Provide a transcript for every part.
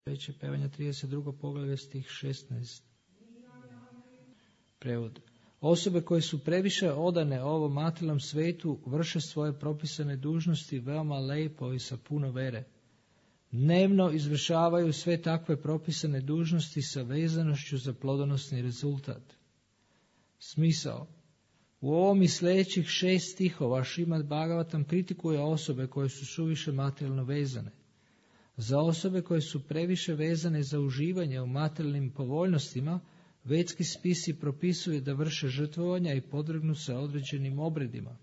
Veće pevanja 32. poglavlje stih 16. Prevod. Osobe koje su previše odane ovom materijalnom svetu vrše svoje propisane dužnosti veoma lepo i sa puno vere. Dnevno izvršavaju sve takve propisane dužnosti sa vezanošću za plodonosni rezultat. Smisao. U ovom i sljedećih 6 stihova Šrimad Bhagavatam kritikuje osobe koje su suviše materijalno vezane. Za osobe koje su previše vezane za uživanje u materijalnim povoljnostima, vedski spisi propisuju da vrše žrtvovanja i podvrgnu se određenim obredima.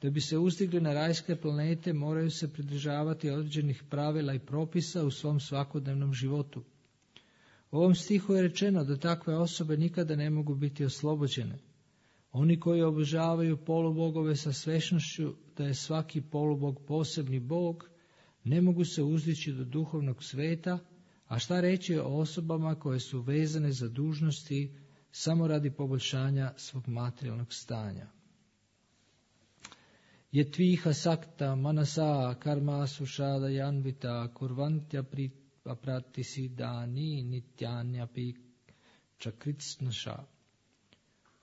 Da bi se uzdigli na rajske planete, moraju se pridržavati određenih pravila i propisa u svom svakodnevnom životu. U ovom stihu je rečeno da takve osobe nikada ne mogu biti oslobođene. Oni koji obožavaju polubogove sa svešnošću da je svaki polubog posebni bog, ne mogu se uzdići do duhovnog sveta, a šta reći o osobama koje su vezane za dužnosti samo radi poboljšanja svog materijalnog stanja. Jetviha sakta manasa karma sušada janvita kurvantya pratisidani nityanya pi čakritsnaša.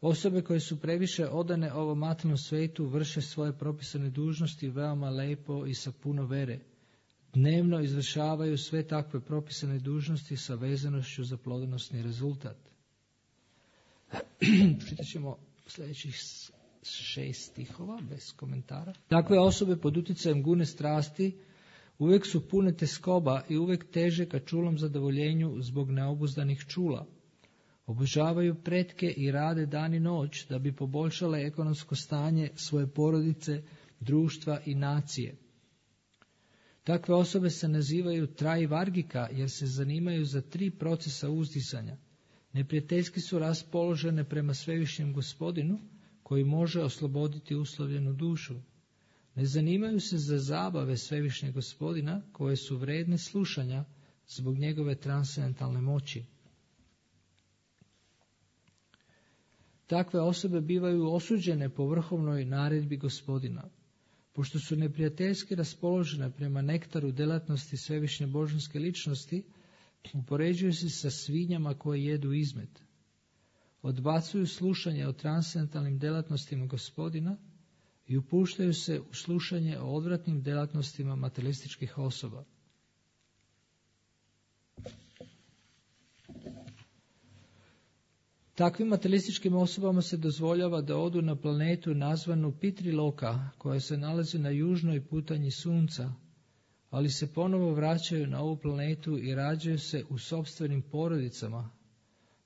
Osobe koje su previše odane ovom materijalnom svetu vrše svoje propisane dužnosti veoma lepo i sa puno vere. Dnevno izvršavaju sve takve propisane dužnosti sa vezanošću za plodonosni rezultat. Čitat ćemo sljedećih 6 stihova bez komentara. Takve osobe pod utjecajem gune strasti uvijek su pune teskoba i uvijek teže ka čulom zadovoljenju zbog neobuzdanih čula. Obožavaju pretke i rade dan i noć da bi poboljšale ekonomsko stanje svoje porodice, društva i nacije. Takve osobe se nazivaju trajvargika jer se zanimaju za 3 procesa uzdizanja. Neprijateljski su raspoložene prema svevišnjem Gospodinu koji može osloboditi uslovljenu dušu. Ne zanimaju se za zabave svevišnjeg Gospodina koje su vredne slušanja zbog njegove transcendentalne moći. Takve osobe bivaju osuđene po vrhovnoj naredbi Gospodina. Pošto su neprijateljski raspoložene prema nektaru delatnosti svevišnje božanske ličnosti, upoređuju se sa svinjama koje jedu izmet. Odbacuju slušanje o transcendentalnim delatnostima Gospodina i upuštaju se u slušanje o odvratnim delatnostima materialističkih osoba. Takvim materialističkim osobama se dozvoljava da odu na planetu nazvanu Pitriloka, koja se nalazi na južnoj putanji Sunca, ali se ponovo vraćaju na ovu planetu i rađaju se u sopstvenim porodicama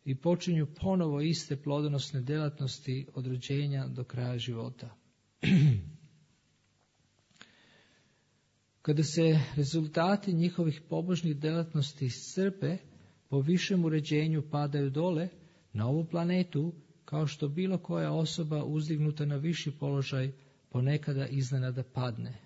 i počinju ponovo iste plodonosne delatnosti od rođenja do kraja života. Kada se rezultati njihovih pobožnih delatnosti iscrpe, po višem uređenju padaju dole, na ovu planetu, kao što bilo koja osoba uzdignuta na viši položaj ponekada iznenada padne.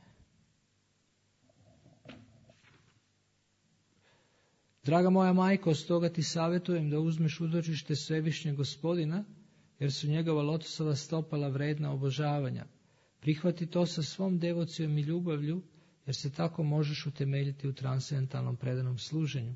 Draga moja majko, stoga ti savjetujem da uzmeš utočište svevišnjeg Gospodina, jer su njegova lotosova stopala vredna obožavanja. Prihvati to sa svom devocijom i ljubavlju, jer se tako možeš utemeljiti u transcendentalnom predanom služenju.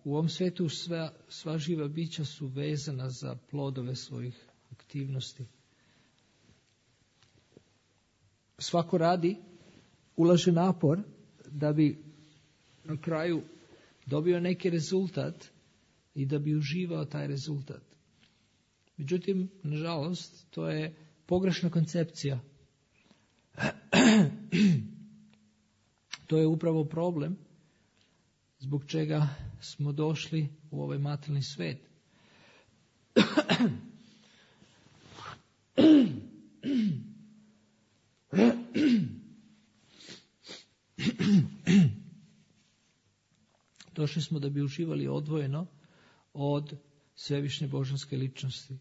U ovom svijetu sva živa bića su vezana za plodove svojih aktivnosti. Svako radi, ulaže napor da bi na kraju dobio neki rezultat i da bi uživao taj rezultat. Međutim, nažalost, to je pogrešna koncepcija. To je upravo problem zbog čega smo došli u ovaj materijalni svijet. Došli smo da bi uživali odvojeno od svevišnje božanske ličnosti.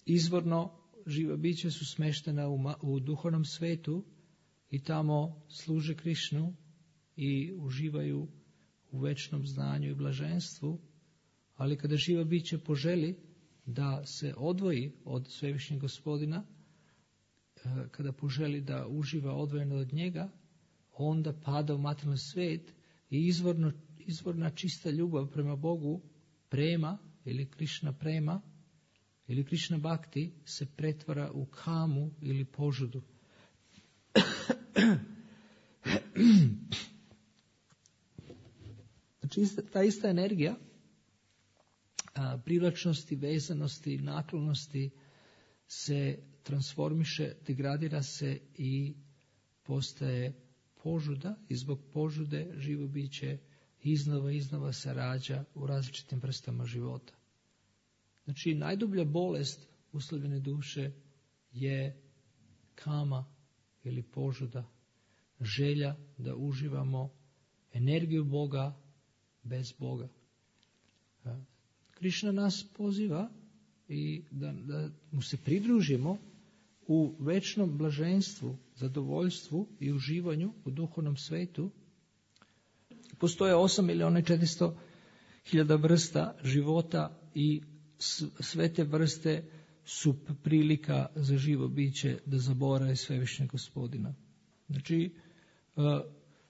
izvorno živa bića su smeštena u duhovnom svetu i tamo služe Krišnu i uživaju u večnom znanju i blaženstvu, ali kada živa biće poželi da se odvoji od Svevišnjeg Gospodina, kada poželi da uživa odvojeno od njega, onda pada u materijalni svijet i izvorna čista ljubav prema Bogu, prema ili Krišna prema ili Krišna bhakti se pretvara u kamu ili požudu. Znači ta ista energija privlačnosti, vezanosti, naklonosti se transformiše, degradira se i postaje požuda i zbog požude živo biće iznova se rađa u različitim vrstama života. Znači najdublja bolest uslovljene duše je kama ili požuda, želja da uživamo energiju Boga bez Boga. Krišna nas poziva i da mu se pridružimo u večnom blaženstvu, zadovoljstvu i uživanju u duhovnom svetu. Postoje 8.400.000 vrsta života i sve te vrste su prilika za živo biće da zaboravi Svevišnjeg Gospodina. Znači,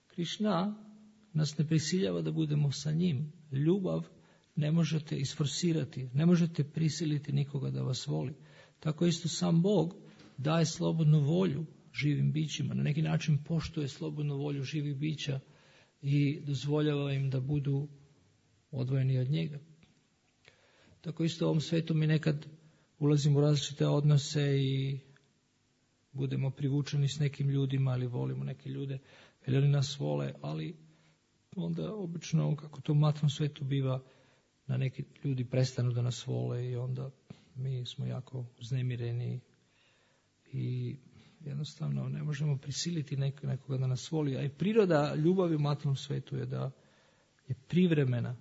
Krišna nas ne prisiljava da budemo sa njim. Ljubav ne možete isforsirati, ne možete prisiliti nikoga da vas voli. Tako isto sam Bog daje slobodnu volju živim bićima, na neki način poštuje slobodnu volju živih bića i dozvoljava im da budu odvojeni od njega. Tako isto u ovom svetu mi nekad ulazimo u različite odnose i budemo privučeni s nekim ljudima, ali volimo neke ljude, jer oni nas vole, ali onda obično, kako to u materijalnom svetu biva, na neki ljudi prestanu da nas vole i onda mi smo jako uznemireni i jednostavno ne možemo prisiliti nekoga da nas voli. A i priroda ljubavi u materijalnom svetu je da je privremena,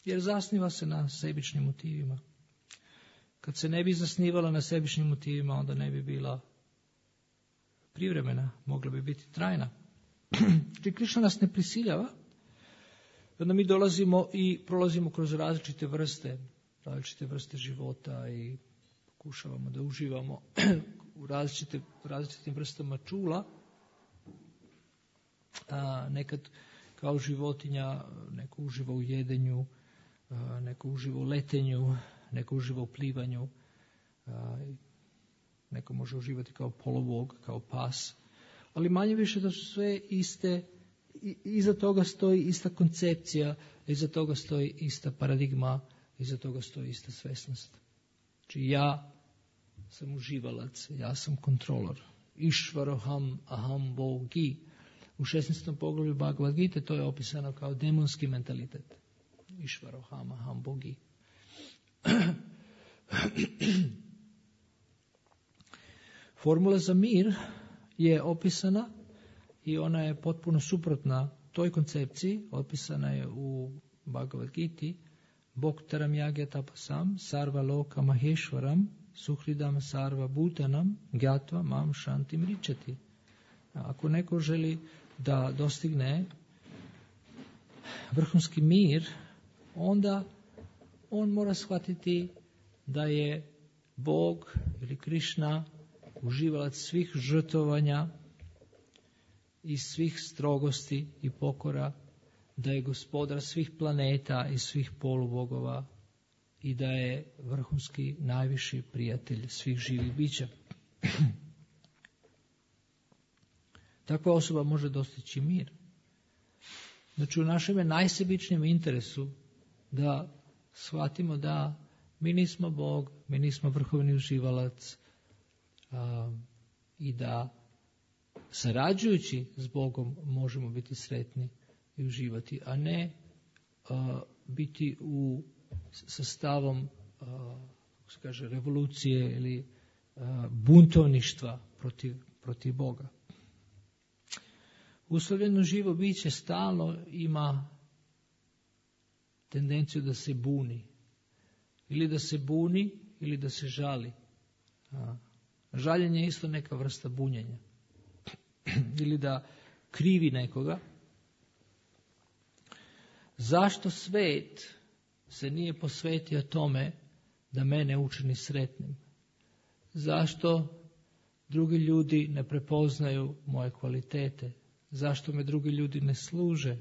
jer zasniva se na sebičnim motivima. Kad se ne bi zasnivala na sebičnim motivima, onda ne bi bila privremena, mogla bi biti trajna. Znači Krišna nas ne prisiljava, onda mi dolazimo i prolazimo kroz različite vrste života i pokušavamo da uživamo u različitim vrstama čula. Nekad kao životinja, neko uživa u jedenju, neko uživa u letenju, neko uživa u plivanju, neko može uživati kao polovog, kao pas. Ali manje više da su sve iste, iza toga stoji ista koncepcija, iza toga stoji ista paradigma, iza toga stoji ista svesnost. Znači ja sam uživalac, ja sam kontrolor. Išvaroham aham bogi. U 16. poglavlju Bhagavad Gita to je opisano kao demonski mentalitet. Išvaroham aham bogi. Formula za mir je opisana i ona je potpuno suprotna toj koncepciji, opisana je u Bhagavad Giti. Bhoktaram yagya tapasam sarva loka maheshwaram suhridam sarva bhutanam gyatva mam shantim richati. Ako neko želi da dostigne vrhunski mir, onda on mora shvatiti da je Bog ili Krišna uživalac svih žrtvovanja i svih strogosti i pokora, da je gospodar svih planeta i svih polubogova i da je vrhunski najviši prijatelj svih živih bića. Takva osoba može dostići mir. Znači u našem je najsebičnijem interesu da shvatimo da mi nismo Bog, mi nismo vrhovni uživalac i da sarađujući s Bogom možemo biti sretni i uživati, a ne biti sa stavom kako se kaže, revolucije ili buntovništva protiv Boga. Uslovljeno živo biće stalno ima tendenciju da se buni. Ili da se buni ili da se žali. Žaljenje je isto neka vrsta bunjenja. Ili da krivi nekoga. Zašto svet se nije posvetio tome da mene učini sretnim? Zašto drugi ljudi ne prepoznaju moje kvalitete? Zašto me drugi ljudi ne služe?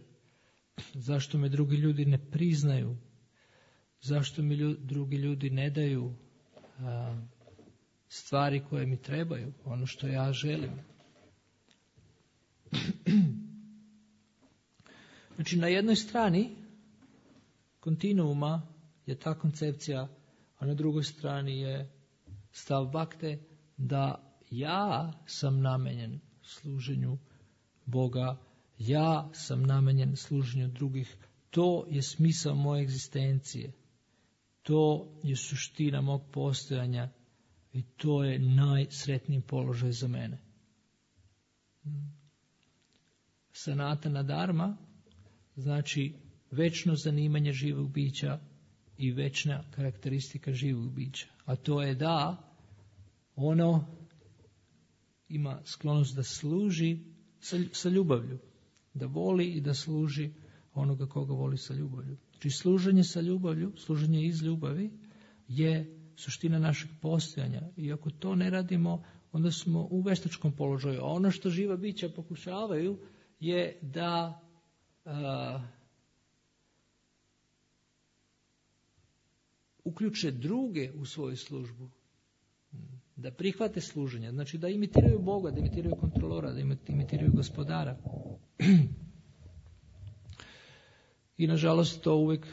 Zašto me drugi ljudi ne priznaju? Zašto mi drugi ljudi ne daju stvari koje mi trebaju, ono što ja želim? Znači, na jednoj strani kontinuuma je ta koncepcija, a na drugoj strani je stav Bakte da ja sam namenjen služenju Boga, ja sam namenjen služenju drugih. To je smisao moje egzistencije. To je suština mog postojanja i to je najsretniji položaj za mene. Sanatana dharma znači večno zanimanje živog bića i večna karakteristika živog bića. A to je da ono ima sklonost da služi sa ljubavlju. Da voli i da služi onoga koga voli sa ljubavlju. Znači služenje sa ljubavlju, služenje iz ljubavi je suština našeg postojanja. I ako to ne radimo, onda smo u veštačkom položaju. A ono što živa bića pokušavaju je da uključe druge u svoju službu. Da prihvate služenje. Znači da imitiraju Boga, da imitiraju kontrolora, da imitiraju gospodara. I nažalost to uvijek,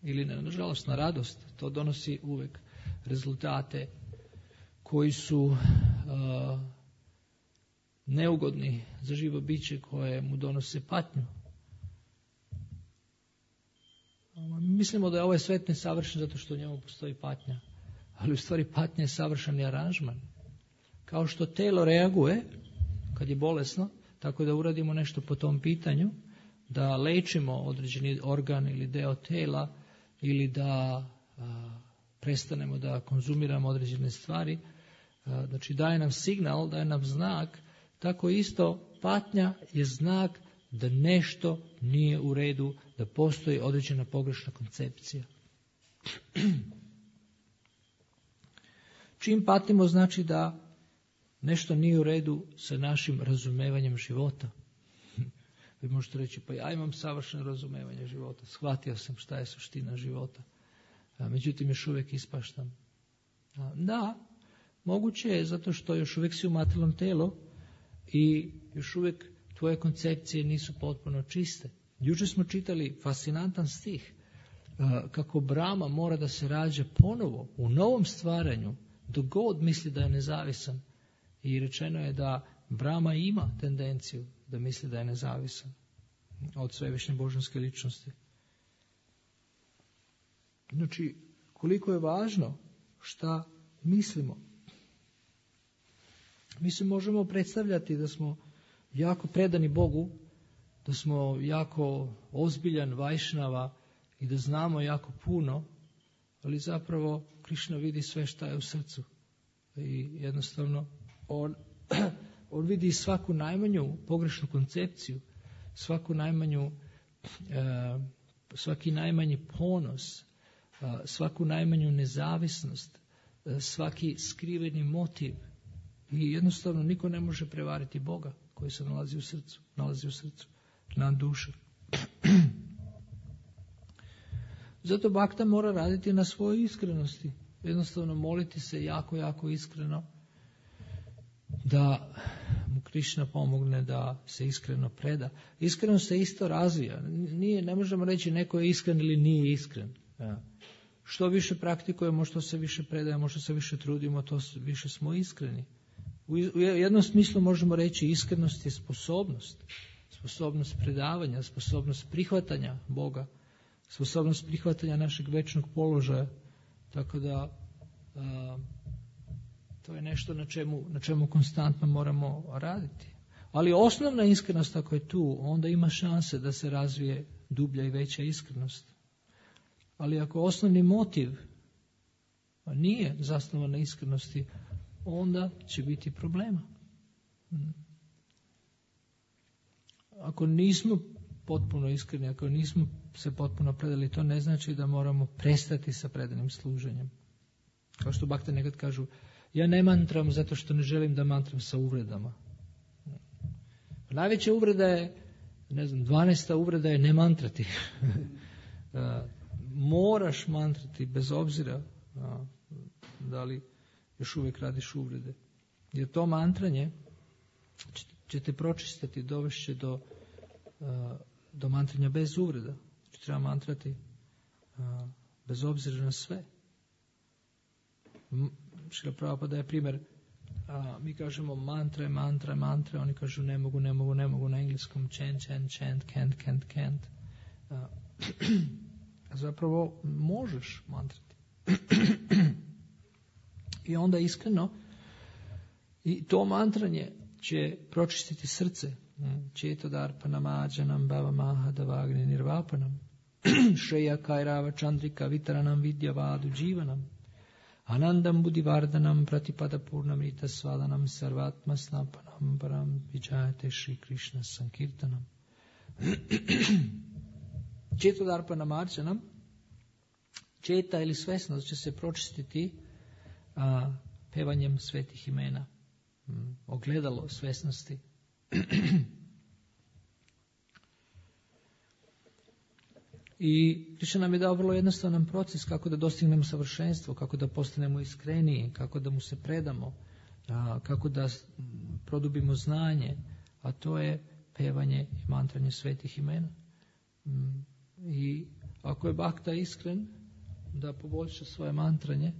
ili ne nažalost, na radost, to donosi uvijek rezultate koji su neugodni za živo biće koje mu donose patnju. Mislimo da je ovaj svet nesavršen zato što u njemu postoji patnja. Ali u stvari patnja je savršeni aranžman. Kao što telo reaguje kad je bolesno, tako da uradimo nešto po tom pitanju, da lečimo određeni organ ili deo tela ili da prestanemo da konzumiramo određene stvari. Znači daje nam signal, daje nam znak. Tako isto patnja je znak da nešto nije u redu, da postoji određena pogrešna koncepcija. Čim patimo znači da nešto nije u redu sa našim razumevanjem života. Vi možete reći, pa ja imam savršeno razumevanje života, shvatio sam šta je suština života, međutim još uvijek ispaštam. Da, moguće je zato što još uvijek si u materijalnom telu i još uvijek tvoje koncepcije nisu potpuno čiste. Jučer smo čitali fascinantan stih kako Brahma mora da se rađa ponovo u novom stvaranju dok god misli da je nezavisan. I rečeno je da Brahma ima tendenciju da misli da je nezavisan od svevišnje božanske ličnosti. Znači, koliko je važno šta mislimo. Mi se možemo predstavljati da smo jako predani Bogu, da smo jako ozbiljan Vajšnava i da znamo jako puno, ali zapravo Krišna vidi sve šta je u srcu. I jednostavno on vidi svaku najmanju pogrešnu koncepciju, svaki najmanji ponos, svaku najmanju nezavisnost, svaki skriveni motiv. I jednostavno niko ne može prevariti Boga koji se nalazi u srcu, na duši. Zato Bhakta mora raditi na svojoj iskrenosti. Jednostavno moliti se jako, jako iskreno da mu Krišna pomogne da se iskreno preda. Iskreno se isto razvija. Ne možemo reći neko je iskren ili nije iskren. Što više praktikujemo, što se više predajemo, što se više trudimo, to više smo iskreni. U jednom smislu možemo reći iskrenost je sposobnost predavanja, sposobnost prihvatanja Boga, sposobnost prihvatanja našeg večnog položaja. Tako da to je nešto na čemu konstantno moramo raditi. Ali osnovna iskrenost ako je tu, onda ima šanse da se razvije dublja i veća iskrenost. Ali ako osnovni motiv a nije zasnovan na iskrenosti, onda će biti problema. Ako nismo potpuno iskreni, ako nismo se potpuno predali, to ne znači da moramo prestati sa predanim služenjem. Kao što bakte nekad kažu, ja ne mantram zato što ne želim da mantram sa uvredama. Najveća uvreda je, 12. uvreda je ne mantrati. Moraš mantrati bez obzira da li još uvijek radiš uvrede. Jer to mantranje će te pročistiti, dovešće do mantranja bez uvreda. Treba mantrati bez obzira na sve. Šrila Prabhupada daje primjer, mi kažemo mantra, oni kažu ne mogu na engleskom chant, can't. Zapravo možeš mantrati. I onda iskreno, i to mantranje će pročistiti srce. Četodarpanam ađanam bhavamaha davagni nirvapanam šreya kairava chandrika vitaranam vidyavadu dživanam anandam buddhivardanam pratipada purnamrita svadanam sarvatma snapanam param vijayate Shri Krishna sankirtanam. Četodarpanam ađanam, četa ili svesnost će se pročistiti pevanjem svetih imena. Ogledalo svesnosti. I Krishna nam je dao vrlo jednostavan proces kako da dostignemo savršenstvo, kako da postanemo iskreniji, kako da mu se predamo, kako da produbimo znanje, a to je pevanje i mantranje svetih imena. I ako je bakta iskren da poboljša svoje mantranje,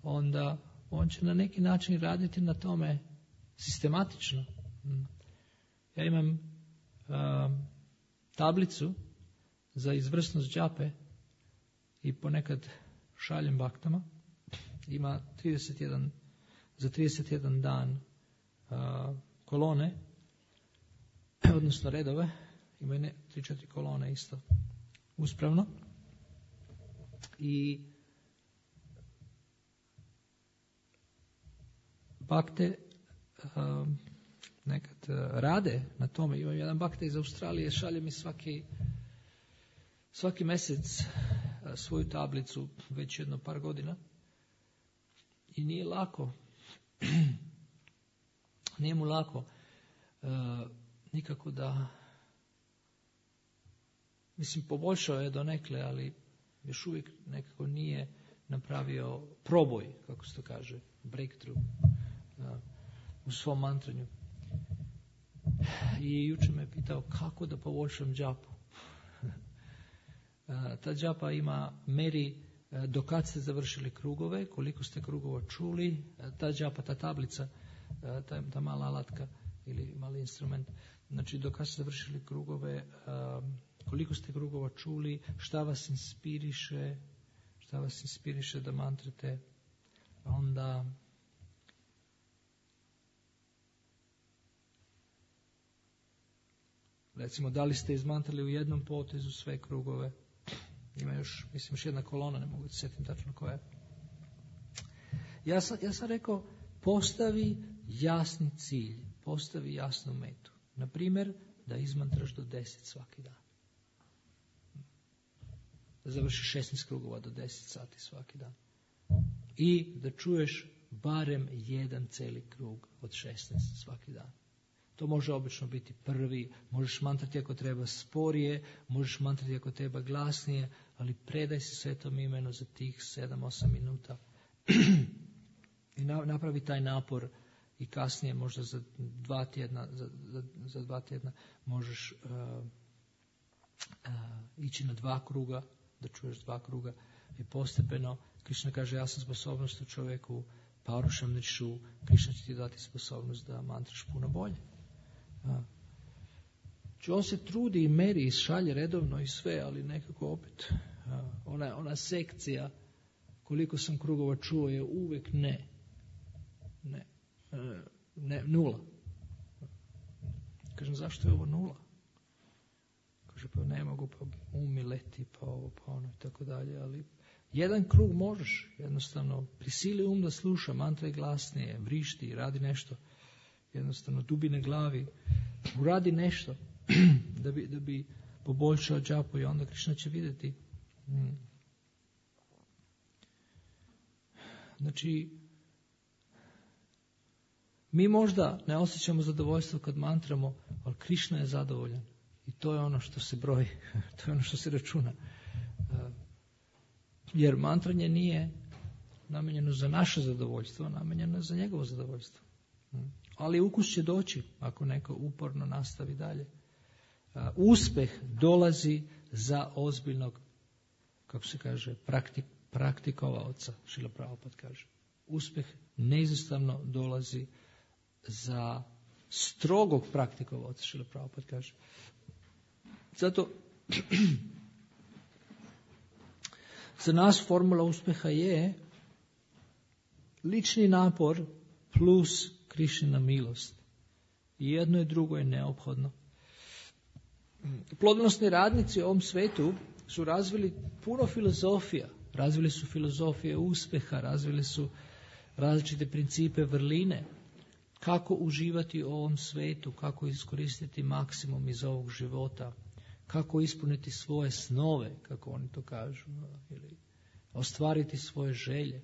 onda on će na neki način raditi na tome sistematično. Ja imam tablicu za izvrsnost džape i ponekad šaljem baktama. Ima 31 dan kolone, odnosno redove. Ima 3-4 kolone isto uspravno. I bakte nekad rade na tome. Imam jedan bakte iz Australije, šalje mi svaki mjesec svoju tablicu već jedno par godina i nije lako. Nije mu lako nikako da, mislim, poboljšao je donekle, ali još uvijek nekako nije napravio proboj, kako se to kaže, breakthrough u svom mantranju. I jučer me pitao kako da poboljšam džapu. Ta džapa meri do kad ste završili krugove, koliko ste krugova čuli. Ta džapa, ta tablica, ta mala alatka ili mali instrument, znači do kad ste završili krugove, koliko ste krugova čuli, šta vas inspiriše da mantrate. Onda recimo, da li ste izmantrali u jednom potezu sve krugove. Ima još jedna kolona, ne mogu da se sjetim tačno koja je. Ja sam rekao, postavi jasni cilj, postavi jasnu metu. Na primjer, da izmantraš do 10 svaki dan. Da završiš 16 krugova do 10 sati svaki dan. I da čuješ barem jedan cijeli krug od 16 svaki dan. To može obično biti prvi, možeš mantrati ako treba sporije, možeš mantrati ako treba glasnije, ali predaj se svetom imenu za tih 7-8 minuta. I napravi taj napor i kasnije možda za 2 tjedna, za 2 tjedna možeš ići na 2 kruga, da čuješ 2 kruga i postepeno. Krishna kaže, ja sam sposobnost u čovjeku, Paurušam Nišu, Krishna će ti dati sposobnost da mantraš puno bolje. On se trudi i meri i šalje redovno i sve, ali nekako opet ona sekcija koliko sam krugova čuo je uvijek ne 0. Kažem, zašto je ovo 0? Kaže, pa ne mogu, pa umi leti, pa ovo, pa ono i tako dalje, ali jedan krug možeš, jednostavno prisili da sluša, mantra je glasnije, vrišti, radi nešto, jednostavno dubine glavi, uradi nešto da bi poboljšao džapu i onda Krišna će vidjeti. Znači, mi možda ne osjećamo zadovoljstvo kad mantramo, ali Krišna je zadovoljan. I to je ono što se broji, to je ono što se računa. Jer mantranje nije namijenjeno za naše zadovoljstvo, namijenjeno je za njegovo zadovoljstvo. Ali ukus će doći ako neko uporno nastavi dalje. Uspeh dolazi za ozbiljnog, kako se kaže, praktikovaoca, Šrila Prabhupada kaže. Uspeh neizostavno dolazi za strogog praktikovaoca, Šrila Prabhupada kaže. Zato za nas formula uspjeha je lični napor plus Krišnina milost. I jedno i drugo je neophodno. Plodonosni radnici u ovom svetu su razvili puno filozofija. Razvili su filozofije uspjeha, razvili su različite principe vrline. Kako uživati u ovom svetu, kako iskoristiti maksimum iz ovog života, kako ispuniti svoje snove, kako oni to kažu, ili ostvariti svoje želje.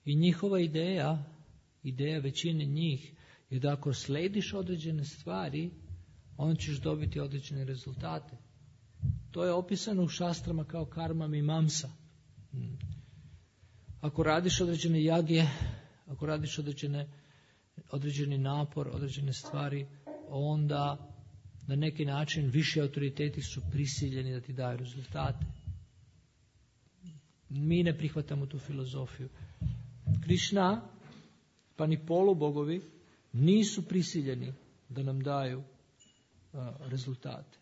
I njihova ideja većine njih je da ako slediš određene stvari, onda ćeš dobiti određene rezultate. To je opisano u šastrama kao karma mimamsa. Ako radiš određene jagje, ako radiš određeni napor, određene stvari, onda na neki način viši autoriteti su prisiljeni da ti daju rezultate. Mi ne prihvatamo tu filozofiju. Krišna, pa ni polubogovi, nisu prisiljeni da nam daju rezultate.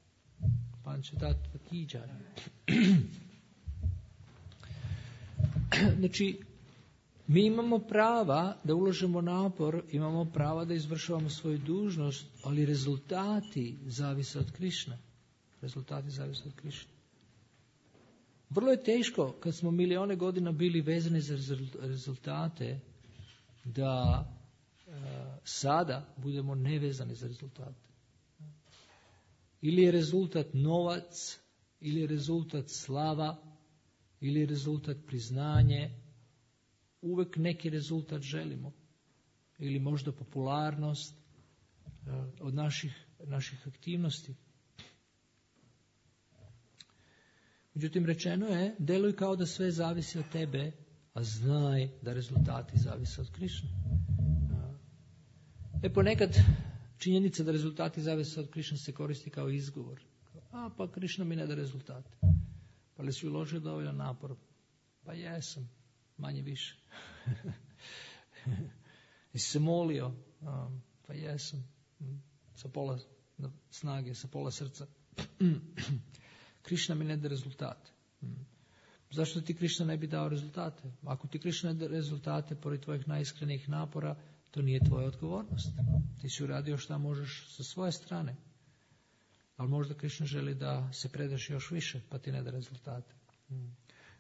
Pančatattva ki jai. Znači, mi imamo prava da ulažemo napor, imamo prava da izvršavamo svoju dužnost, ali rezultati zavise od Krišne. Rezultati zavise od Krišne. Vrlo je teško, kad smo milione godina bili vezani za rezultate, da sada budemo nevezani za rezultate. Ili je rezultat novac, ili je rezultat slava, ili je rezultat priznanje. Uvek neki rezultat želimo. Ili možda popularnost od naših aktivnosti. Međutim, rečeno je, deluj kao da sve zavisi od tebe, a znaj da rezultati zavise od Krišne. Ponekad činjenica da rezultati zavise od Krišne se koristi kao izgovor. Pa Krišna mi ne da rezultate. Pa li si uložio dovoljan napor? Pa jesam, manje više. Jesi se molio? Pa jesam, sa pola snage, sa pola srca. Krišna mi ne da rezultate. Zašto ti Krišna ne bi dao rezultate? Ako ti Krišna ne da rezultate pored tvojih najiskrenijih napora, to nije tvoja odgovornost. Ti si uradio šta možeš sa svoje strane. Ali možda Krišna želi da se predaš još više, pa ti ne da rezultate.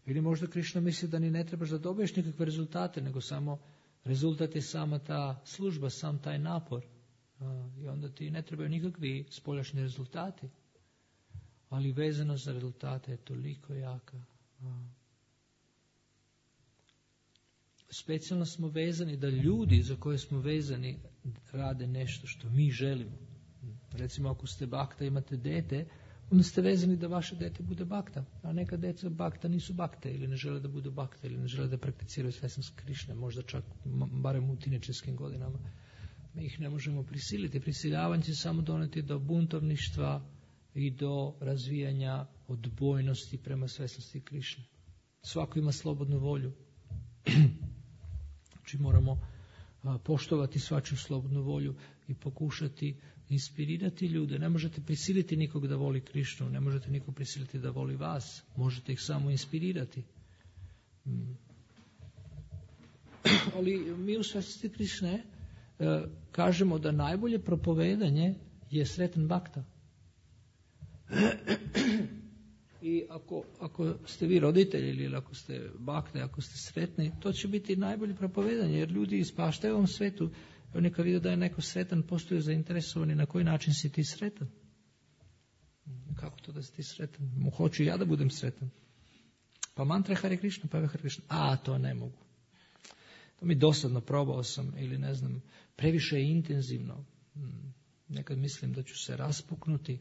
Ili možda Krišna misli da ni ne trebaš da dobiješ nikakve rezultate, nego samo rezultat je sama ta služba, sam taj napor. I onda ti ne trebaju nikakvi spoljašnji rezultati. Ali vezano za rezultate je toliko jaka. Specijalno smo vezani da ljudi za koje smo vezani rade nešto što mi želimo. Recimo ako ste bakta, imate dete, onda ste vezani da vaše dete bude bakta. A neka deca bakta nisu bakte ili ne žele da budu bakte ili ne žele da prakticiraju svesnost Krišne, možda čak barem u tinejdžerskim godinama. Mi ih ne možemo prisiliti. Prisiljavanje će samo doneti do buntovništva i do razvijanja odbojnosti prema svesnosti Krišne. Svako ima slobodnu volju. Znači moramo poštovati svačiju slobodnu volju i pokušati inspirirati ljude. Ne možete prisiliti nikog da voli Krišnu, ne možete nikog prisiliti da voli vas. Možete ih samo inspirirati. Ali mi u svesnosti Krišne kažemo da najbolje propovedanje je sretan bakta. I ako ste vi roditelji ili ako ste bakte, ako ste sretni, to će biti najbolje propovedanje, jer ljudi ispaštaju u ovom svetu. Oni kad vide da je neko sretan, postaju zainteresovani na koji način si ti sretan. Kako to da si ti sretan? Hoću ja da budem sretan. Pa mantra Hare Krishna, pa Hare Krishna. To ne mogu. To mi dosadno, probao sam, ili ne znam, previše je intenzivno. Nekad mislim da ću se raspuknuti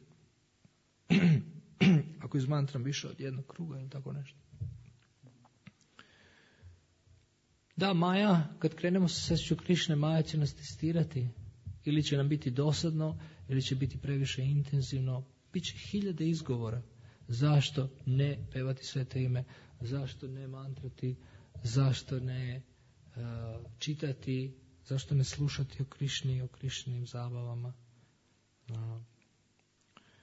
ako izmantram više od jednog kruga ili tako nešto. Da, Maja, kad krenemo sa svešću Krišne, Maja će nas testirati. Ili će nam biti dosadno, ili će biti previše intenzivno. Biće hiljade izgovora. Zašto ne pevati svete ime? Zašto ne mantrati? Zašto ne čitati? Zašto ne slušati o Krišni, o Krišnim zabavama?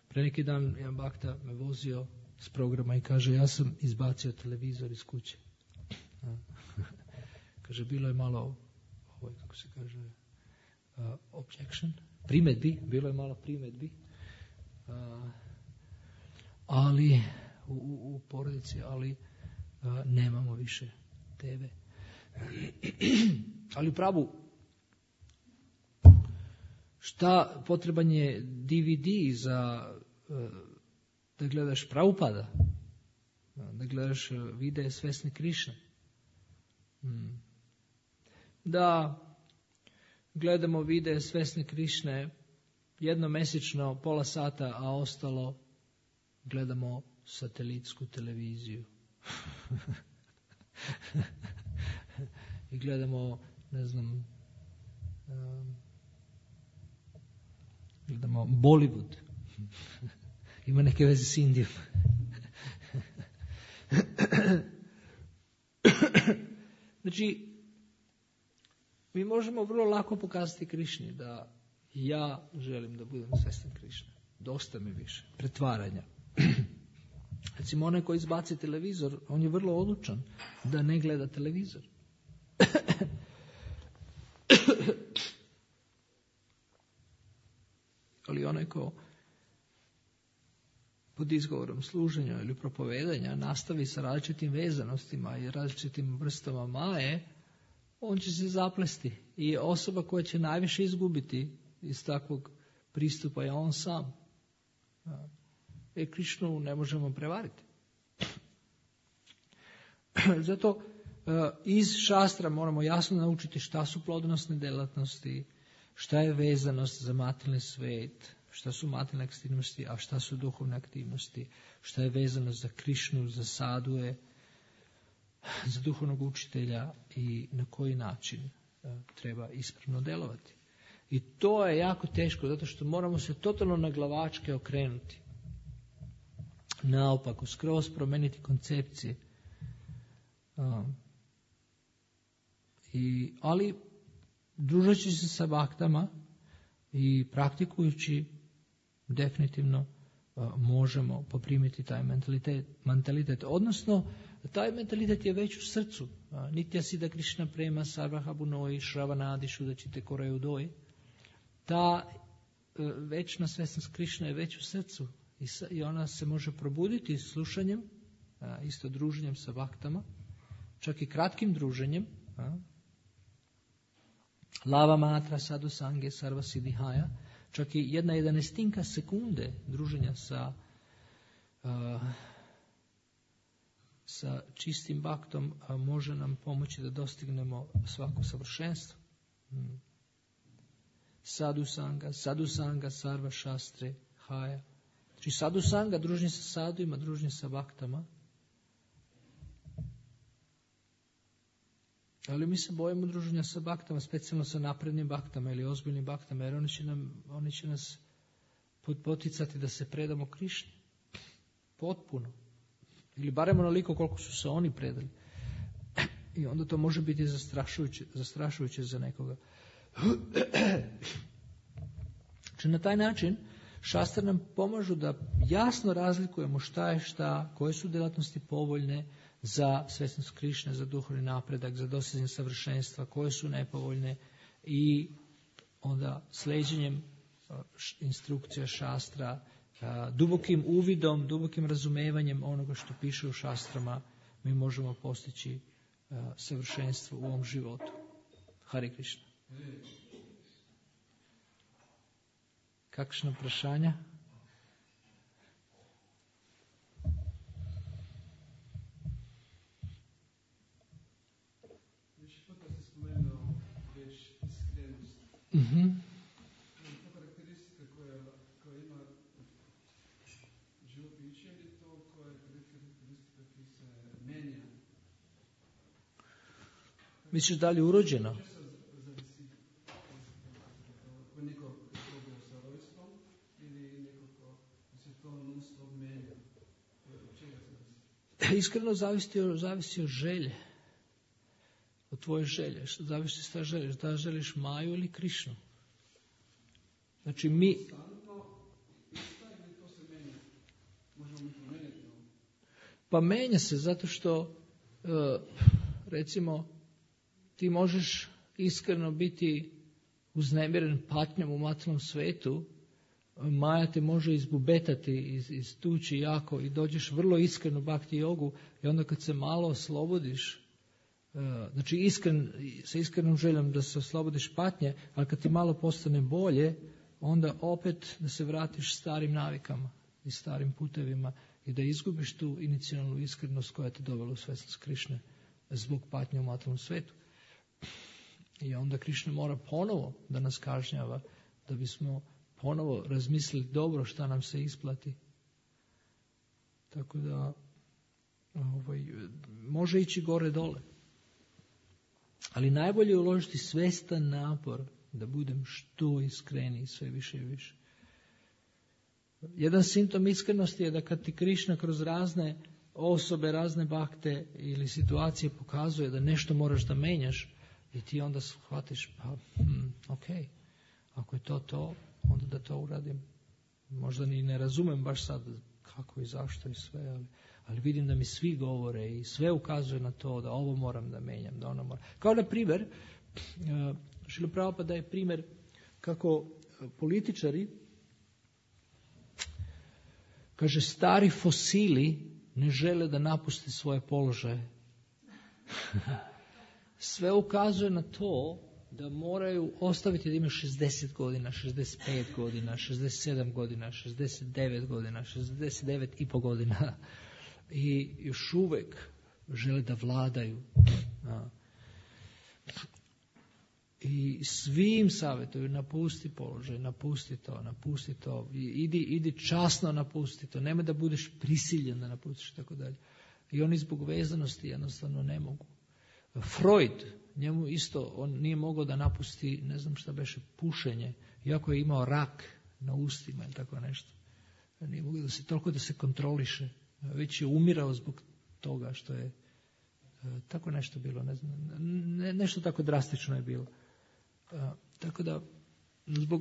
Pre neki dan jedan bakta me vozio s programa i kaže, ja sam izbacio televizor iz kuće. Kaže, bilo je malo, kako se kaže, objection, primjedbi, bilo je malo primjedbi, ali u porodici, ali nemamo više TV. Ali u pravu, šta potreban je DVD za da gledaš Prabhupada, da gledaš videe svesne Krišne. Da gledamo videe svesne Krišne jednomesečno, pola sata, a ostalo gledamo satelitsku televiziju. I gledamo, ne znam, gledamo Bollywood. Ima neke veze s Indijom. Znači, mi možemo vrlo lako pokazati Krišni da ja želim da budem svestan Krišne. Dosta mi više. Pretvaranja. Recimo, onaj koji izbaci televizor, on je vrlo odlučan da ne gleda televizor. Ali onaj ko pod izgovorom služenja ili propovedanja nastavi sa različitim vezanostima i različitim vrstama maje, on će se zaplesti. I osoba koja će najviše izgubiti iz takvog pristupa je on sam. Krišnu ne možemo prevariti. Zato iz šastra moramo jasno naučiti šta su plodonosne delatnosti, šta je vezanost za materijalni svet, šta su materijalne aktivnosti, a šta su duhovne aktivnosti, šta je vezano za Krišnu, za sadue, za duhovnog učitelja i na koji način treba ispravno delovati. I to je jako teško, zato što moramo se totalno na glavačke okrenuti. Naopako, skroz promeniti koncepcije. Ali družeći se sa baktama i praktikujući, definitivno možemo poprimiti taj mentalitet. Odnosno, taj mentalitet je već u srcu. Nitya Siddha Krišna prema sarvaha bunoi shravanadi šudačite koraju doj. Ta večna svesnost Krišna je već u srcu i ona se može probuditi slušanjem, isto druženjem sa baktama, čak i kratkim druženjem. Lava matra sadhu sange sarva siddhihaja, čak i 1/11 sekunde druženja sa čistim baktom može nam pomoći da dostignemo svako savršenstvo. Sadhu sanga, sarva šastre, haja. Znači sadhu sanga, druženje sa saduima, druženje sa baktama. Ali mi se bojimo druženja sa baktama, specijalno sa naprednim baktama ili ozbiljnim baktama, jer oni će nas poticati da se predamo Krišni. Potpuno. Ili barem onoliko koliko su se oni predali. I onda to može biti zastrašujuće za nekoga. Znači na taj način šastre nam pomažu da jasno razlikujemo šta je šta, koje su djelatnosti povoljne za svesnost Krišne, za duhovni napredak, za dostizanje savršenstva, koje su nepovoljne, i onda sleđenjem instrukcija šastra dubokim uvidom, dubokim razumevanjem onoga što piše u šastrama, mi možemo postići savršenstvo u ovom životu. Hare Krishna. Kakšno vprašanje? Karakteristika koja ima živo biće ili to koja je karakteristika ki se menja? Misliš da li je urođeno? Zavisi neko je sa rojstvom ili neko ko se to non stop menja? Od čega se zavisi? Iskreno zavisi od želje. Od tvoje želje. Što zavisi šta želiš? Da želiš Maju ili Krišnu? Znači mi... Pa menja se zato što recimo ti možeš iskreno biti uznemiren patnjom u materijalnom svetu, Maja te može izbubetati, istući jako i dođeš vrlo iskreno u bhakti jogu i onda kad se malo oslobodiš, znači sa iskrenom željom da se oslobodiš patnje, ali kad ti malo postane bolje, onda opet da se vratiš starim navikama i starim putevima i da izgubiš tu inicijalnu iskrenost koja te dovela u svjesnost Krišne zbog patnje u materijalnom svetu. I onda Krišna mora ponovo da nas kažnjava, da bismo ponovo razmislili dobro šta nam se isplati. Tako da može ići gore dole. Ali najbolje je uložiti svestan napor da budem što iskreniji sve više i više. Jedan simptom iskrenosti je da kad ti Krišna kroz razne osobe, razne bakte ili situacije pokazuje da nešto moraš da menjaš i ti onda shvatiš ok, ako je to, onda da to uradim. Možda ni ne razumem baš sad kako i zašto i sve, ali vidim da mi svi govore i sve ukazuje na to da ovo moram da menjam, da ono moram. Kao na primjer, Šrila Prabhupada je primjer kako političari, kaže, stari fosili ne žele da napuste svoje položaje. Sve ukazuje na to da moraju ostaviti da imaju 60 godina, 65 godina, 67 godina, 69 godina, 69,5 godina i još uvijek žele da vladaju. I svim savjetuju, napusti položaj, napusti to, idi časno napusti to, nemoj da budeš prisiljen da napustiš i tako dalje. I oni zbog vezanosti jednostavno ne mogu. Freud, njemu isto, on nije mogao da napusti, ne znam šta beše, pušenje, iako je imao rak na ustima ili tako nešto. Nije mogao toliko da se kontroliše, već je umirao zbog toga što je tako nešto bilo, ne znam, nešto tako drastično je bilo. Tako da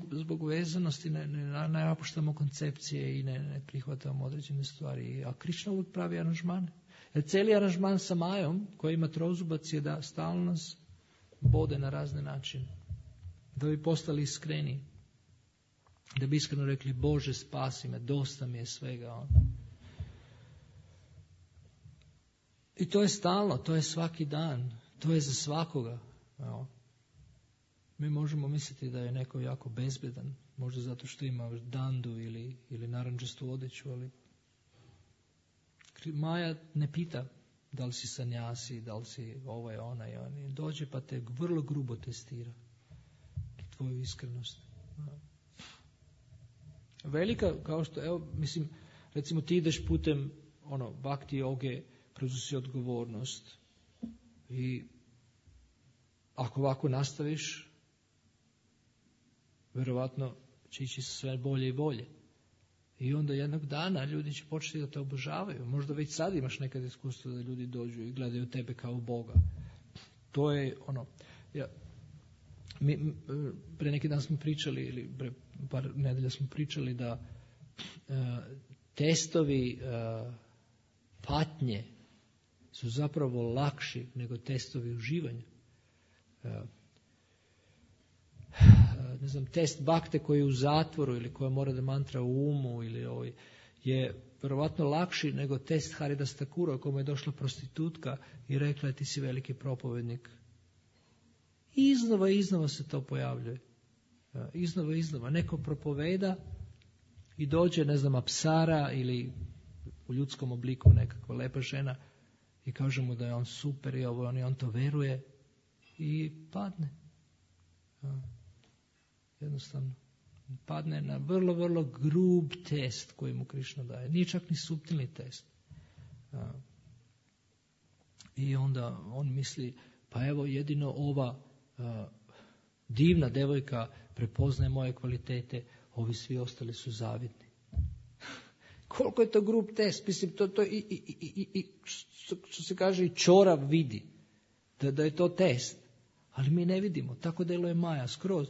zbog vezanosti ne napuštamo koncepcije i ne prihvatamo određene stvari. A Krišna uvijek pravi aranžmane. Jer cijeli aranžman sa Majom, koja ima trozubac, je da stalno nas bode na razne načine. Da bi postali iskreni. Da bi iskreno rekli, Bože, spasi me, dosta mi je svega. I to je stalno, to je svaki dan, to je za svakoga. Mi možemo misliti da je neko jako bezbedan, možda zato što ima dandu ili narandžastu odeću, ali Maja ne pita da li si sanjasi, da li si ovaj, onaj, on. Dođe pa te vrlo grubo testira tvoju iskrenost. Velika, kao što, evo, mislim, recimo ti ideš putem bhakti joge, preuzusi odgovornost i ako ovako nastaviš, vjerovatno će ići sve bolje i bolje. I onda jednog dana ljudi će početi da te obožavaju. Možda već sad imaš nekad iskustvo da ljudi dođu i gledaju tebe kao Boga. To je mi pre neki dan smo pričali, ili pre par nedelja smo pričali da testovi patnje su zapravo lakši nego testovi uživanja. ne znam, test bakte koji je u zatvoru ili koja mora da mantra u umu ili je vjerovatno lakši nego test Haridas Thakura kome je došla prostitutka i rekla je ti si veliki propovednik. I iznova se to pojavljuje. Iznova. Neko propoveda i dođe, ne znam, apsara ili u ljudskom obliku nekakva lepa žena i kaže mu da je on super i on to veruje i padne. Jednostavno. Padne na vrlo, vrlo grub test koji mu Krišna daje. Nije čak ni suptilni test. I onda on misli, pa evo jedino ova divna devojka prepoznaje moje kvalitete, ovi svi ostali su zavidni. Koliko je to grub test? Mislim, to što se kaže i čorav vidi. Da je to test. Ali mi ne vidimo. Tako deluje Maja skroz.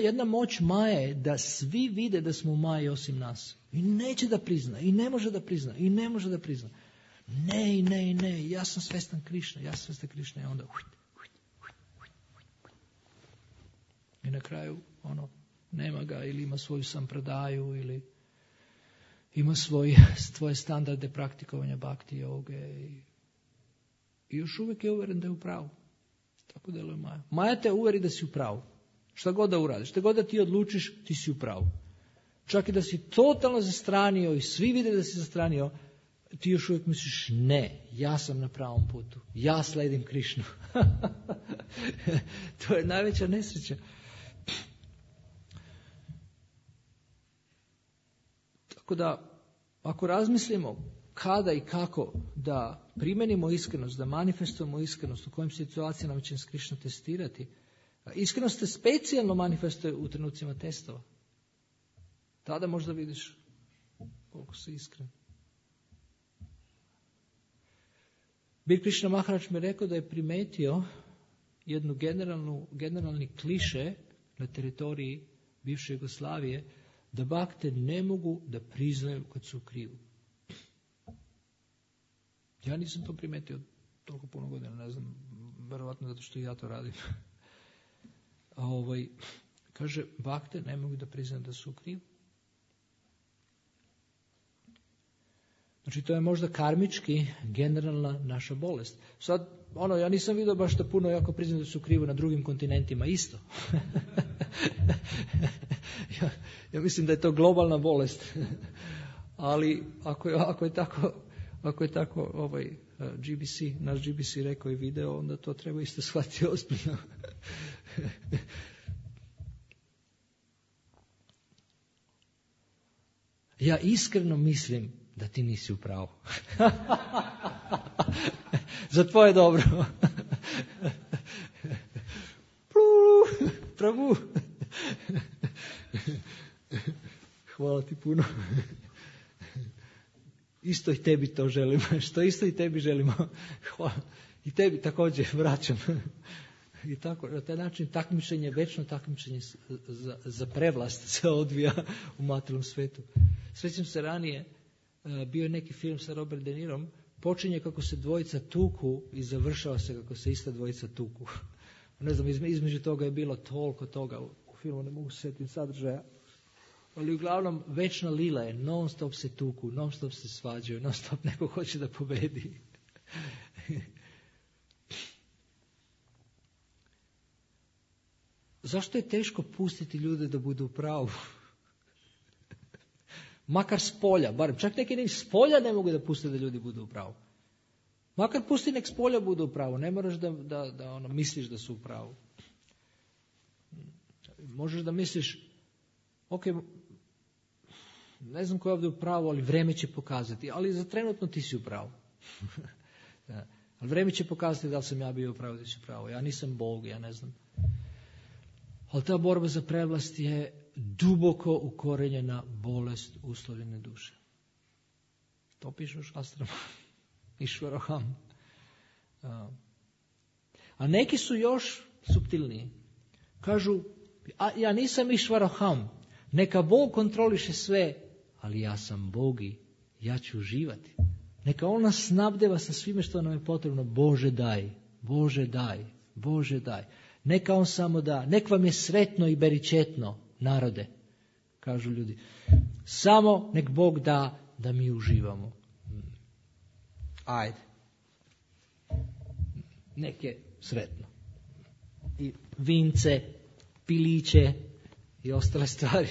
Jedna moć Maje je da svi vide da smo u Maji osim nas. I neće da prizna. I ne može da prizna. Ne. Ja sam svestan Krišna. I onda i na kraju nema ga ili ima svoju sampradaju ili ima svoje standarde praktikovanja bhakti joge i još uvijek je uveren da je u pravu. Tako deluje Maja. Maja te uveri da si u pravu. Šta god da uradiš, šta god da ti odlučiš, ti si u pravu. Čak i da si totalno zastranio i svi vide da si zastranio, ti još uvijek misliš ne, ja sam na pravom putu. Ja sledim Krišnu. To je najveća nesreća. Tako da, ako razmislimo kada i kako da primenimo iskrenost, da manifestujemo iskrenost, u kojim situacijama će nas Krišna testirati, iskrenost se specijalno manifestuje u trenucima testova. Tada možda vidiš koliko si iskren. Bir Krišna Maharaj mi rekao da je primetio jednu generalni kliše na teritoriji bivše Jugoslavije, da bakte ne mogu da priznaju kad su u krivu. Ja nisam to primetio toliko puno godina, ne znam, verovatno zato što i ja to radim. Kaže, bakte ne mogu da priznaju da su u krivu. Znači, to je možda karmički generalna naša bolest. Sad, ja nisam vidio baš da puno jako priznaju da su krivu na drugim kontinentima isto. Ja mislim da je to globalna bolest. Ali ako je tako naš GBC rekao i video, onda to treba isto shvatiti ozbiljno. Ja iskreno mislim da ti nisi u pravu. Za tvoje dobro. Pravu. Hvala ti puno. Isto i tebi to želimo. Što isto i tebi želimo. Hvala. I tebi također vraćam. I tako, na taj način večno takmičenje za prevlast se odvija u materijalnom svetu. Sjećam se ranije, bio je neki film sa Robert De Nirom, počinje kako se dvojica tuku i završava se kako se ista dvojica tuku. Ne znam, između toga je bilo toliko toga u filmu, ne mogu se sjetiti sadržaja. Ali uglavnom večna lila je, non stop se tuku, non stop se svađaju, non stop neko hoće da pobedi. Zašto je teško pustiti ljude da budu u pravu? Makar s polja, barem. Čak neki ni s polja ne mogu da puste da ljudi budu u pravu. Makar pusti nek s polja budu u pravu. Ne moraš da misliš da su u pravu. Možeš da misliš, ok, ne znam ko je ovdje u pravu, ali vreme će pokazati. Ali za trenutno ti si u pravu. Ali vreme će pokazati da li sam ja bio u pravu, da si u pravu. Ja nisam Bog, ja ne znam. Ali ta borba za prevlast je duboko ukorenjena bolest uslovljene duše. To piše u šastrama. Išvaroham. A neki su još suptilniji. Kažu, ja nisam Išvaroham. Neka Bog kontroliše sve, ali ja sam Bog i ja ću uživati. Neka On nas snabdeva sa svime što nam je potrebno. Bože daj, Bože daj, Bože daj. Neka on samo da. Nek vam je sretno i beričetno, narode, kažu ljudi. Samo nek Bog da mi uživamo. Ajde. Nek je sretno. I vince, piliće i ostale stvari.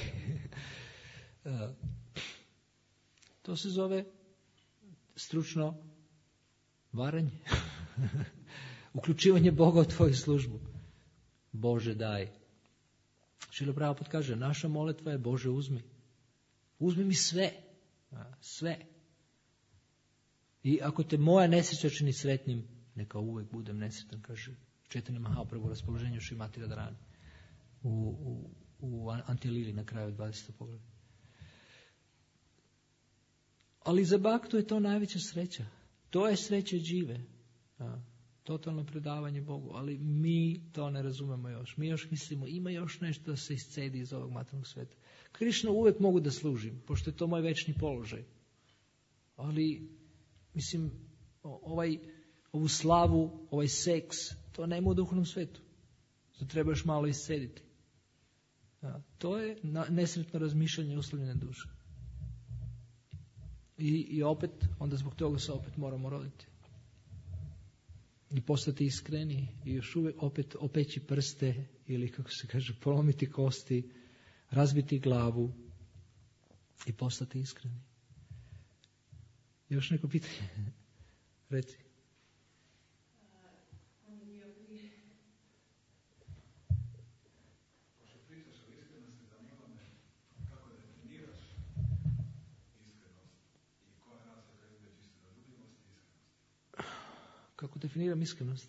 To se zove stručno varanje. Uključivanje Boga u tvoju službu. Bože daj. Šrila Prabhupada kaže, naša molitva je Bože uzmi. Uzmi mi sve. Sve. I ako te moja nesreća čini sretnim, neka uvijek budem nesretan, kaže Chaitanya Mahaprabhu u raspoloženju Šrimati Radharani u Antilili na kraju 20. poglavlja. Ali za Bhaktu je to najveća sreća. To je sreća džive. Totalno predavanje Bogu. Ali mi to ne razumemo još. Mi još mislimo, ima još nešto da se iscedi iz ovog materijalnog sveta. Krišnu uvijek mogu da služim, pošto je to moj večni položaj. Ali, mislim, ovu slavu, ovaj seks, to nema u duhovnom svetu. To treba još malo iscediti. To je nesretno razmišljanje uslovljene duše. I opet, onda zbog toga se opet moramo roditi. I postati iskreni i još uvijek opet opeći prste ili, kako se kaže, polomiti kosti, razbiti glavu i postati iskreni. Još neko pitanje? Reci. Kako definiram iskrenost?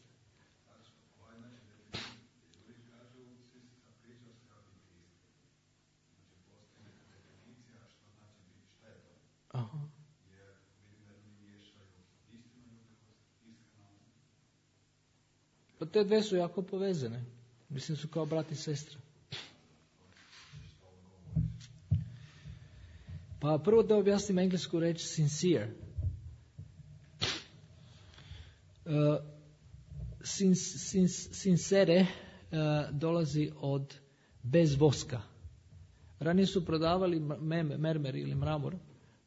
Aha. Pa te dve su jako povezane. Mislim su kao brat i sestra. Pa prvo da objasnim englesku reč sincere. Sincere dolazi od bez voska. Ranije su prodavali mermer ili mramor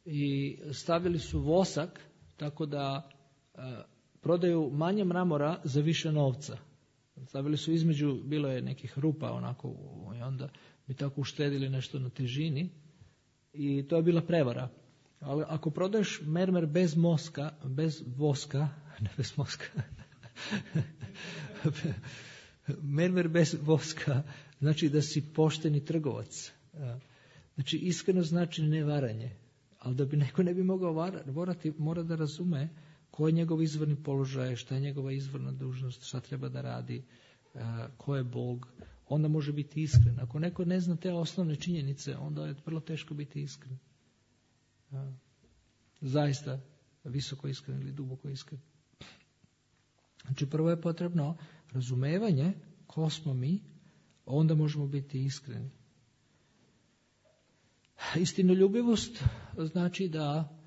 i stavili su vosak tako da prodaju manje mramora za više novca. Stavili su između, bilo je nekih rupa onako i onda bi tako uštedili nešto na težini i to je bila prevara. Ali ako prodaješ mermer bez voska, mermer bez voska, znači da si pošteni trgovac. Znači iskreno znači ne varanje. Ali da bi neko ne bi mogao varati, mora da razume ko je njegov izvorni položaj, šta je njegova izvorna dužnost, šta treba da radi, ko je Bog. Onda može biti iskren. Ako neko ne zna te osnovne činjenice, onda je vrlo teško biti iskren. Zaista visoko iskren ili duboko iskren. Znači prvo je potrebno razumevanje ko smo mi, onda možemo biti iskreni. Istinoljubivost znači da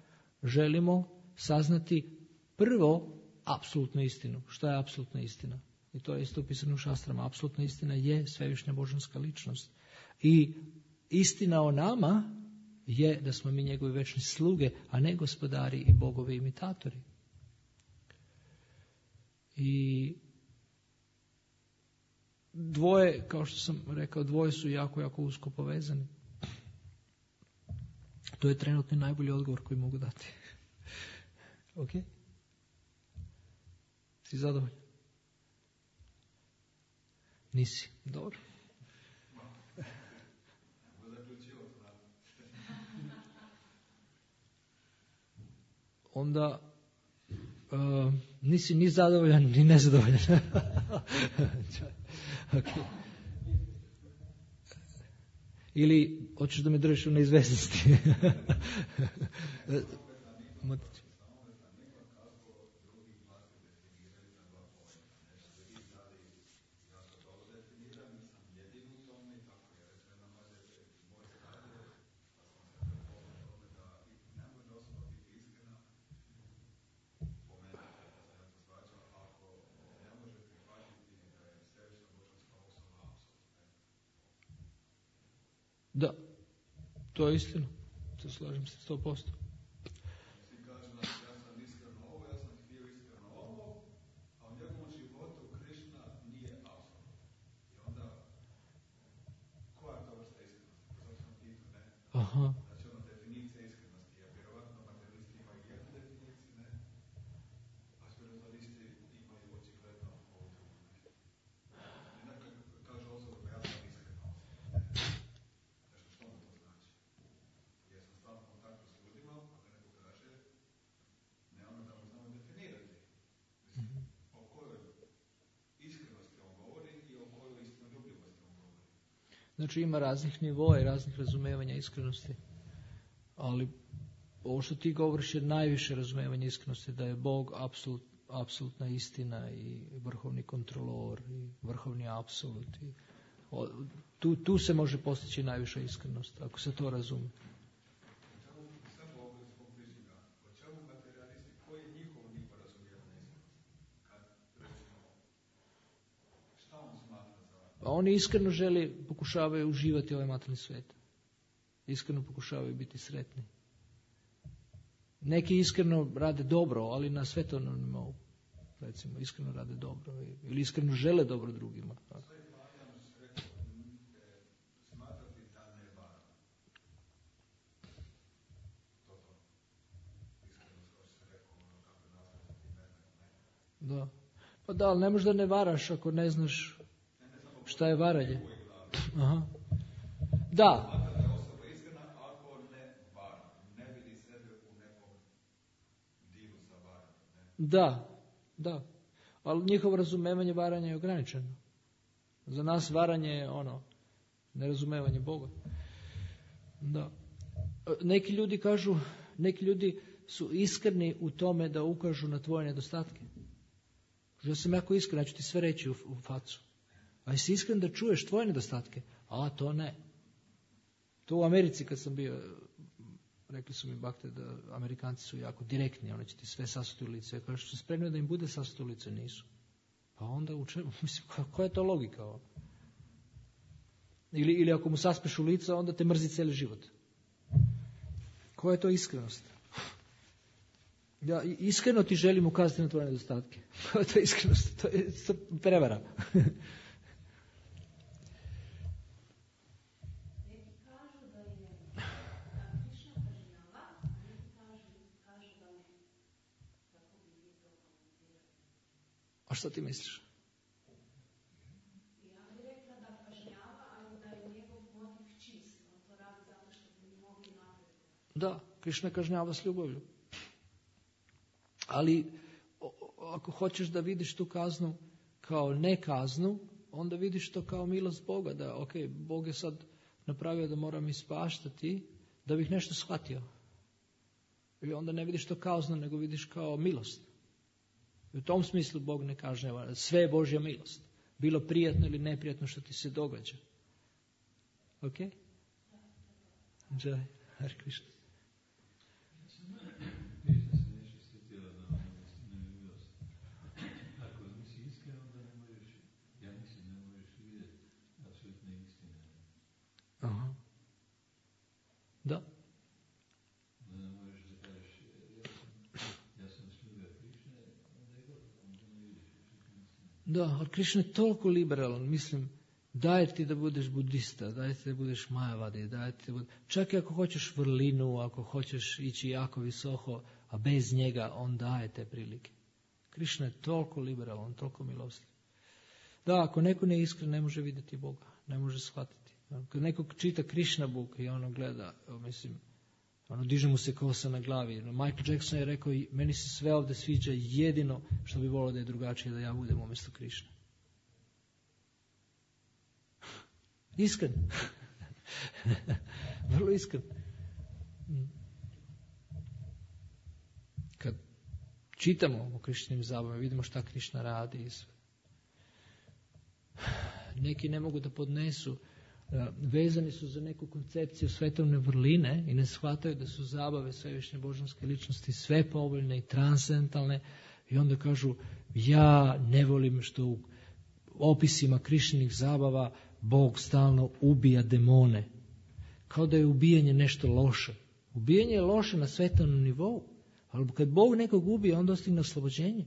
želimo saznati prvo apsolutnu istinu. Šta je apsolutna istina? I to je isto upisano u šastrama. Apsolutna istina je svevišnja božanska ličnost. I istina o nama je da smo mi njegovi večni sluge, a ne gospodari i bogovi imitatori. I dvoje, kao što sam rekao, dvoje su jako, jako usko povezani. To je trenutni najbolji odgovor koji mogu dati. Ok? Si zadovoljan? Nisi? Dobro. Onda nisi ni zadovoljan, ni nezadovoljan. Okay. Ili hoćeš da me držiš u neizvesnosti? Da, to je istina. To slažem se 100%. Svi kažu da ja sam iskreno ovo, ja sam htio iskreno ovo, a u njegovom životu Krišna nije apsolutno. I onda, koja je to vrsta iskrenosti? To sam pitao, ne? Aha. Znači, definicija iskrenosti je vjerovatno materialisti imaju jednu definiciju, ne? A spiritualisti imaju očigledno ovu drugu, ne? Nekako kaže osoba, ja sam iskreno osoba, ne? Nešto, što mu to znači? Ja sam stalno u kontaktu s ljudima, ako neko kaže, ne ono da mu znamo definirati. Mislim, o kojoj iskrenosti on govori i o kojoj istinoljubivosti on govori. Znači ima raznih nivoa i raznih razumevanja iskrenosti. Ali ovo što ti govoriš je najviše razumevanje iskrenosti, da je Bog apsolutna istina i vrhovni kontrolor i vrhovni apsolut. Tu se može postići najviša iskrenost, ako se to razumije. Oni iskreno pokušavaju uživati ovaj materijalni svijet. Iskreno pokušavaju biti sretni. Neki iskreno rade dobro, ali na svetovnom nivou. Recimo, iskreno rade dobro. Ili iskreno žele dobro drugima. Da. Pa da, ali ne možda ne varaš ako ne znaš šta je varanje. Aha. Da. Da. Ali njihovo razumevanje varanja je ograničeno. Za nas varanje je nerazumevanje Boga. Da. Neki ljudi kažu, neki ljudi su iskreni u tome da ukažu na tvoje nedostatke. Ja sam jako iskren, ja ću ti sve reći u facu. A jesi iskren da čuješ tvoje nedostatke? A to ne. To u Americi kad sam bio, rekli su mi bakte da Amerikanci su jako direktni, oni će ti sve sasuti u lice. Ja kažu, su spremni da im bude sasuti u lice? Nisu. Pa onda u čemu? Mislim, koja je to logika? Ili ako mu saspeš u lice, onda te mrzi cijeli život. Koja je to iskrenost? Ja iskreno ti želim ukazati na tvoje nedostatke. Koja je to iskrenost? To je prevara. A što ti misliš? Ja bih rekla da kažnjava, ali da je njegov motiv čist. On to radi zato što bi mogli naprediti. Da, Krišna kažnjava s ljubavlju. Ali ako hoćeš da vidiš tu kaznu kao ne kaznu, onda vidiš to kao milost Boga. Da, Bog je sad napravio da moram ispaštati da bih nešto shvatio. I onda ne vidiš to kaznu, nego vidiš kao milost. I u tom smislu Bog ne kažnjava. Sve je Božja milost. Bilo prijatno ili neprijatno što ti se događa. Ok? Jai, Hare Krishna. Ako nisi iskren, onda ne možeš, ja mislim, ne možeš vidjeti apsolutne istine. Aha. Da. Ne možeš da kažeš, ja sam sluga Krišne, onda je gotovo, onda ne vidiš apsolutne istine. Da, ali Krišna je toliko liberalan, mislim, daje ti da budeš budista, daje ti da budeš majavadi, daje ti da budeš... Čak i ako hoćeš vrlinu, ako hoćeš ići jako visoko, a bez njega, on daje te prilike. Krišna je toliko liberalan, toliko milostiv. Da, ako neko nije iskren, ne može vidjeti Boga, ne može shvatiti. Kad neko čita Krišna Book i ono gleda, mislim, diže mu se kosa na glavi. Michael Jackson je rekao, meni se sve ovdje sviđa, jedino što bi volio da je drugačije, da ja budem umjesto Krišne. Iskren. Vrlo iskren. Kad čitamo o Krišnim zabavama, vidimo šta Krišna radi i sve. Neki ne mogu da podnesu, vezani su za neku koncepciju svetovne vrline i ne shvataju da su zabave svevišnje božanske ličnosti sve povoljne i transcendentalne i onda kažu, ja ne volim što u opisima Krišnih zabava Bog stalno ubija demone. kao da je ubijanje nešto loše. Ubijanje je loše na svetovnom nivou, ali kad Bog nekog ubije, on dostigne oslobođenje.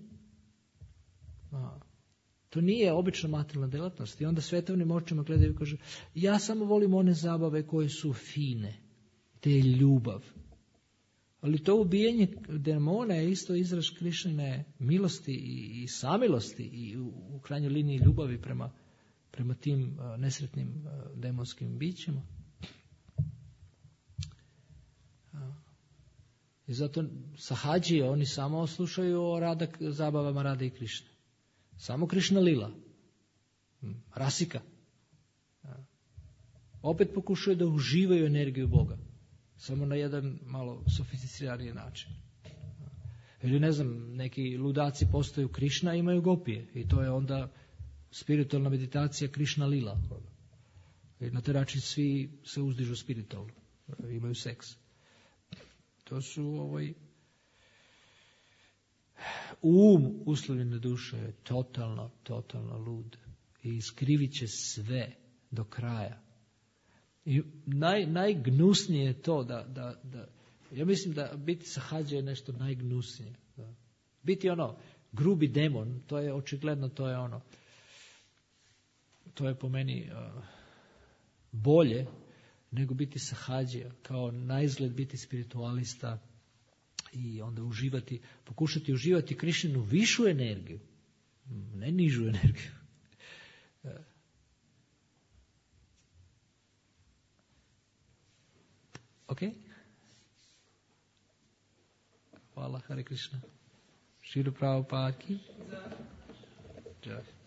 To nije obična materijalna djelatnost. I onda svetovnim očima gledaju i kaže, ja samo volim one zabave koje su fine, te je ljubav. Ali to ubijanje demona je isto izraz Krišnine milosti i samilosti i u krajnjoj liniji ljubavi prema tim nesretnim demonskim bićima. I zato sahađije, oni samo slušaju o zabavama Rade i Krišne. Samo Krišna lila. Rasika. Opet pokušaju da uživaju energiju Boga. Samo na jedan malo sofisticiraniji način. Ili ne znam, neki ludaci postaju Krišna i imaju gopije. I to je onda spiritualna meditacija Krišna lila. I na taj način svi se uzdižu spiritualno. Imaju seks. To su uslovljene duše je totalno lud. I iskrivit će sve do kraja. I najgnusnije je to da ja mislim da biti sahađa je nešto najgnusnije. Da. Biti grubi demon, to je očigledno, to je po meni bolje nego biti sahađa, kao naizgled biti spiritualista i onda pokušati uživati Krišninu višu energiju, ne nižu energiju. Ok? Hvala, Hare Krishna. Šrila Prabhupada ki. Jai.